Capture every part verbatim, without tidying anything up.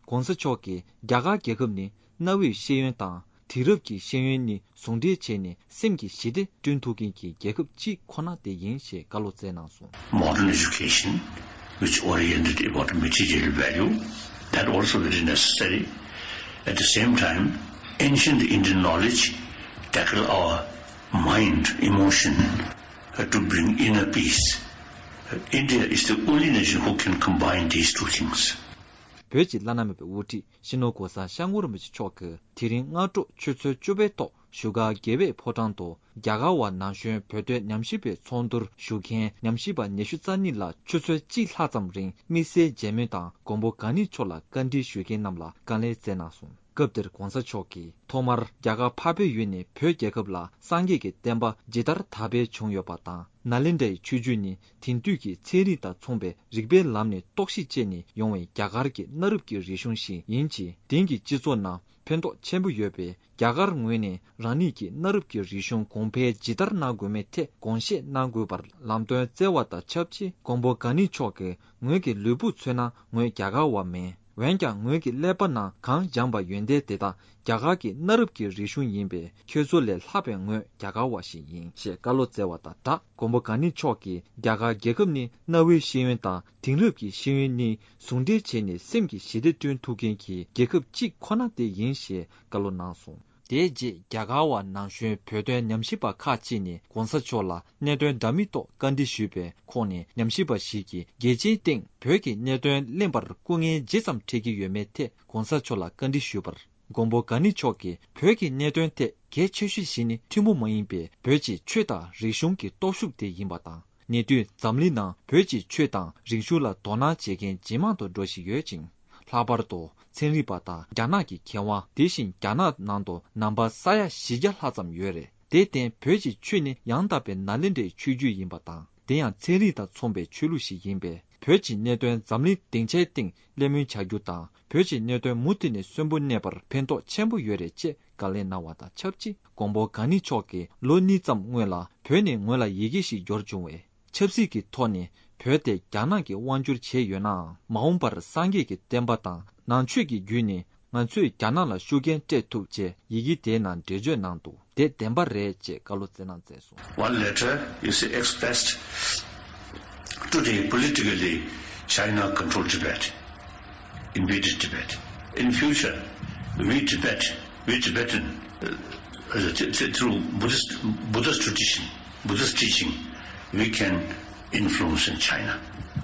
༸གོང་ས་མཆོག་གིས་རྒྱ་གར་རྒྱལ་ཁབ་ནི་གནའ་བོའི་ཤེས་ཡོན་དང་དེང་རབས་ཀྱི་ཤེས་ཡོན་གཉིས་ཟུང་འབྲེལ་བྱས་ནས་སེམས་ཀྱི་ཞི་བདེ་བསྐྲུན་ཐུབ་མཁན་གྱི་རྒྱལ་ཁབ་གཅིག་ཁོ་ན་དེ་ཡིན་ཞེས་བཀའ་སློབ་སྩལ་གནང་སོང་། Modern education, which oriented about material value, that also very necessary. At the same time, ancient Indian knowledge tackle our mind, emotion, uh, to bring inner peace. Uh, India is the only nation who can combine these two things. བོད་ཀྱི་བླ་ན་མེད་པའི་དབུ་ཁྲིད་སྤྱི་ནོར་༸གོང་ས་༸སྐྱབས་མགོན་རིན་པོ་ཆེ་མཆོག་གིས་དེ་རིང་སྔ་དྲོ་ཆུ་ཚོད་བཅུ་པའི་ཐོག་བཞུགས་སྒར་རྒྱལ་བའི་ཕོ་བྲང་དུ་རྒྱ་གར་བ་ན་གཞོན་བོད་དོན་ཉམས་ཞིབ་པའི་ཚོགས་འདུར་ཞུགས་མཁན་ཉམས་ཞིབ་པ་ཉི་ཤུ་རྩ་གཉིས་ལ་ཆུ་ཚོད་གཅིག་ལྷག་ཙམ་རིང་དམིགས་བསལ་མཇལ་མོལ་དང་མགོན་པོ་གང་ཉིད་མཆོག་ལ་བཀའ་འདྲི་ཞུ་མཁན་རྣམས་ལ་བཀའ་ལན་སྩལ་གནང་སོང་། སྐབས་དེར་༸གོང་ས་མཆོག་གིས་ཐོག་མར་རྒྱ་གར་འཕགས་པའི་ཡུལ་ནས་བོད་རྒྱལ་ཁབ་ལ་སངས་རྒྱས་ཀྱི་བསྟན་པ་ཇི་ལྟར་དར་སྤེལ་བྱུང་ཡོད་པ་དང་། ནཱ་ལེནྡྲའི་ཆོས་བརྒྱུད་ནི་དེང་དུས་ཀྱི་ཚན་རིག་དང་མཚུངས་པའི་རིག་པའི་ལམ་ནས་རྟོག་ཞིབ་བྱས་ནས་ཡོང་བའི་རྒྱ་གར་གྱི་གནའ་རབས་ཀྱི་རིག་གཞུང་ཞིག་ཡིན་ཕྱིན། དེང་གི་སྤྱི་ཚོགས་ནང་ཕན་ཐོགས་ཆེན་པོ་ཡོད་པས། རྒྱ་གར་ངོས་ནས་རང་ཉིད་ཀྱི་གནའ་རབས་ཀྱི་རིག་གཞུང་གོང་འཕེལ་ཇི་ལྟར་གནང་དགོས་མིན་ཐད་དགོངས་བཞེས་གནང་དགོས་པར་ལམ་སྟོན་སྩལ་བ་དང་ཆབས་ཅིག་མགོན་པོ་གང་ཉིད་མཆོག་གིས། ངོས་ཀྱི་ལུས་པོ་མཚོན་ན་ངོས་རྒྱ་གར་བ་མིན། འོན་ཀྱང་ངོས་ཀྱི་ཀླད་པ་ནང་གང་སྦྱངས་པ་ཡོན་ཏན་དེ་དག་རྒྱ་གར་གྱི་གནའ་རབས་ཀྱི་རིག་གཞུང་ཡིན་པས། ཁྱོད་ཚོ་ལས་ལྷག་པའི་ངོས་རྒྱ་གར་བ་ཞིག་ཡིན་ཞེས་བཀའ་སློབ་སྩལ་བ་དང་སྦྲགས། མགོན་པོ་གང་ཉིད་མཆོག་གིས་རྒྱ་གར་རྒྱལ་ཁབ་ནི་གནའ་བོའི་ཤེས་ཡོན་དང་དེང་རབས་ཀྱི་ཤེས་ཡོན་གཉིས་ཟུང་འབྲེལ་བྱས་ནས་སེམས་ཀྱི་ཞི་བདེ་བསྐྲུན་ཐུབ་མཁན་གྱི་རྒྱལ་ཁབ་གཅིག་ཁོ་ན་དེ་ཡིན་ཞེས་བཀའ་སློབ་གནང་སོང་། དེའི་རྗེས་རྒྱ་གར་བ་ན་གཞོན་བོད་དོན་ཉམས་ཞིབ་པ་ཁག་ཅིག་ནས་གོང་ས་མཆོག་ལ་གནད་དོན་འདྲ་མིན་ཐོག་བཀའ་འདྲི་ཞུས་པའི་ཁོངས་ནས་ཉམས་ཞིབ་པ་ཞིག་གིས་རྒྱལ་སྤྱིའི་སྟེང་བོད་ཀྱི་གནད་དོན་གླེང་བར་སྐུ་ངལ་ཇི་ཙམ་འཕྲད་ཀྱི་ཡོད་མེད་ཐད་གོང་ས་མཆོག་ལ་བཀའ་འདྲི་ཞུས་པར། མགོན་པོ་གང་ཉིད་མཆོག་གིས་བོད་ཀྱི་གནད་དོན་ཐད་གལ་ཆེ་ཤོས་ཤིག་ནི་ཐུན་མོང་མ་ཡིན་པའི་བོད་ཀྱི་ཆོས་དང་རིག་གཞུང་གི་སྟོབས་ཤུགས་དེ་ཡིན་པ་དང་། ཉེ་དུས་འཛམ་གླིང་ནང་བོད་ཀྱི་ཆོས་དང་རིག་གཞུང་ལ་དོ་སྣང་བྱེད་མཁན་ཇེ་མང་དུ་འགྲོ་བཞིན་ཡོད་ཅིང་། ལྷག་པར་དུ་ཚན་རིག་པ་དང་རྒྱ་ནག་གི་མཁས་དབང་། དེ་བཞིན་རྒྱ་ནག་ནང་དུ་ནང་པ་ས་ཡ་བཞི་བརྒྱ་ལྷག་ཙམ་ཡོད་རེད། དེར་བརྟེན་བོད་ཀྱི་ཆོས་ནི་ཡང་དག་པའི་ནཱ་ལེནྡྲའི་ཆོས་བརྒྱུད་ཡིན་པ་དང་། དེ་ཡང་ཚན་རིག་དང་མཚུངས་པའི་ཆོས་ལུགས་ཤིག་ཡིན་པས། བོད་ཀྱི་གནད་དོན་འཛམ་གླིང་སྡིངས་ཆའི་སྟེང་གླེང་མོལ་བྱ་རྒྱུ་དང་། བོད་ཀྱི་གནད་དོན་མུ་མཐུད་ནས་གསོན་པོ་གནས་པར་ཕན་ཐོགས་ཆེན་པོ་ཡོད་རེད་ཅེས་བཀའ་ལན་གནང་བ་དང་ཆབས་ཅིག་མགོན་པོ་གང་ཉིད་མཆོག་གིས་ལོ་གཉིས་ཙམ་སྔོན་ལ་བོད་ནས་ངོས་ལ་ཡི་གེ་ཞིག་འབྱོར་བྱུང་བས། ཆབ་སྲིད་ཀྱི་ཐོག་ནས་བོད་དེ་རྒྱ་ནག་གིས་དབང་བསྒྱུར་བྱས་ཡོད་ནའང་། མ་འོངས་པར་སངས་རྒྱས་ཀྱི་བསྟན་པ་དང་ནང་ཆོས་ཀྱི་བརྒྱུད་ནས་ང་ཚོས་རྒྱ་ནག་ལ་ཤུགས་རྐྱེན་སྤྲད་ཐུབ་ཅེས་ཡི་གེ་དེའི་ནང་འགྲེལ་བརྗོད་གནང་འདུག་དེ་བདེན་པ་རེད་ཅེས་བཀའ་སློབ་སྩལ་གནང་མཛད་སོང་། One letter, you see, expressed today politically, China controlled Tibet, invaded Tibet. In future, we Tibet, we Tibetan, uh, uh, th- th- through Buddhist, Buddhist tradition, Buddhist teaching, we can influence in China.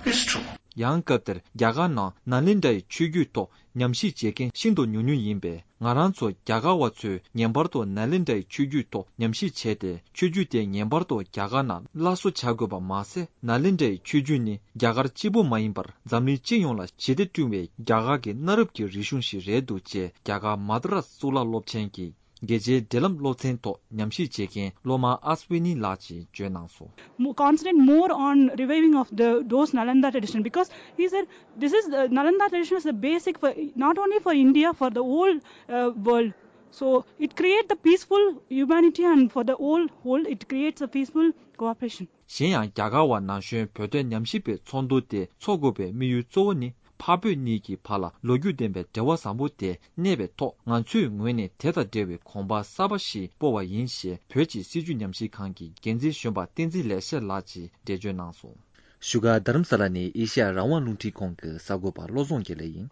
It's true. ཡང་སྐབས་དེར་རྒྱ་གར་ནང་ནཱ་ལེནྡྲའི་ཆོས་བརྒྱུད་ཐོག་ཉམས་ཞིབ་བྱེད་མཁན་ཤིན་ཏུ་ཉུང་ཉུང་ཡིན་པས། ང་རང་ཚོ་རྒྱ་གར་བ་ཚོས་ངེས་པར་དུ་ནཱ་ལེནྡྲའི་ཆོས་བརྒྱུད་ཐོག་ཉམས་ཞིབ་བྱས་ཏེ། ཆོས་བརྒྱུད་དེ་ངེས་པར་དུ་རྒྱ་གར་ནང་སླར་གསོ་བྱ་དགོས་པ་མ་ཟད། ནཱ་ལེནྡྲའི་ཆོས་བརྒྱུད་ནི་རྒྱ་གར་གཅིག་པུ་མ་ཡིན་པར་འཛམ་གླིང་སྤྱི་ཡོངས་ལ་ཞི་བདེ་བསྐྲུན་པའི་རྒྱ་གར་གྱི་གནའ་རབས་ཀྱི་རིག་གཞུང་ཞིག་རེད་འདུག་ཅེས་རྒྱ་གར་མ་དྷ་ར་གཙུག་ལག་སློབ་ཆེན་གྱི་རྒྱལ་སྤྱིའི་འབྲེལ་ལམ་སློབ་ཚན་ཐོག་ཉམས་ཞིབ་བྱེད་མཁན་སློབ་མ་ཨ་སི་ཝི་ནི་ལགས་ཀྱིས་བརྗོད་གནང་སོང་། Mo- concentrate more on reviving of the those Nalanda tradition, because these are, this is, uh, Nalanda tradition is the basic for, not only for India, for the whole, uh, world. So it creates the peaceful humanity, and for the whole world it creates a peaceful cooperation. གཞན་ཡང་རྒྱ་གར་བ་ན་གཞོན་བོད་དོན་ཉམས་ཞིབ་པའི་ཚོགས་འདུ་དེ་འཚོགས་དགོས་པའི་དམིགས་ཡུལ་གཙོ་བོ་ནི། འཕགས་བོད་གཉིས་ཀྱི་བར་ལ་ལོ་རྒྱུས་ལྡན་པའི་འབྲེལ་བ་བཟང་པོ་དེ་གནས་པའི་ཐོག་ང་ཚོའི་ངོས་ནས་དེ་དང་འབྲེལ་བའི་གོམ་པ་གསར་པ་ཞིག་སྤོ་བ་ཡིན་ཞེས་བོད་ཀྱི་སྲིད་བྱུས་ཉམས་ཞིབ་ཁང་གི་འགན་འཛིན་གཞོན་པ་བསྟན་འཛིན་ལེགས་བཤད་ལགས་ཀྱིས་འགྲེལ་བརྗོད་གནང་སོང་། བཞུགས་སྒར་རྡ་རམ་ས་ལ་ནས་ཨེ་ཤ་ཡ་རང་དབང་རླུང་འཕྲིན་ཁང་གི་གསར་འགོད་པ་བློ་བཟང་དགེ་ལེགས་ཡིན།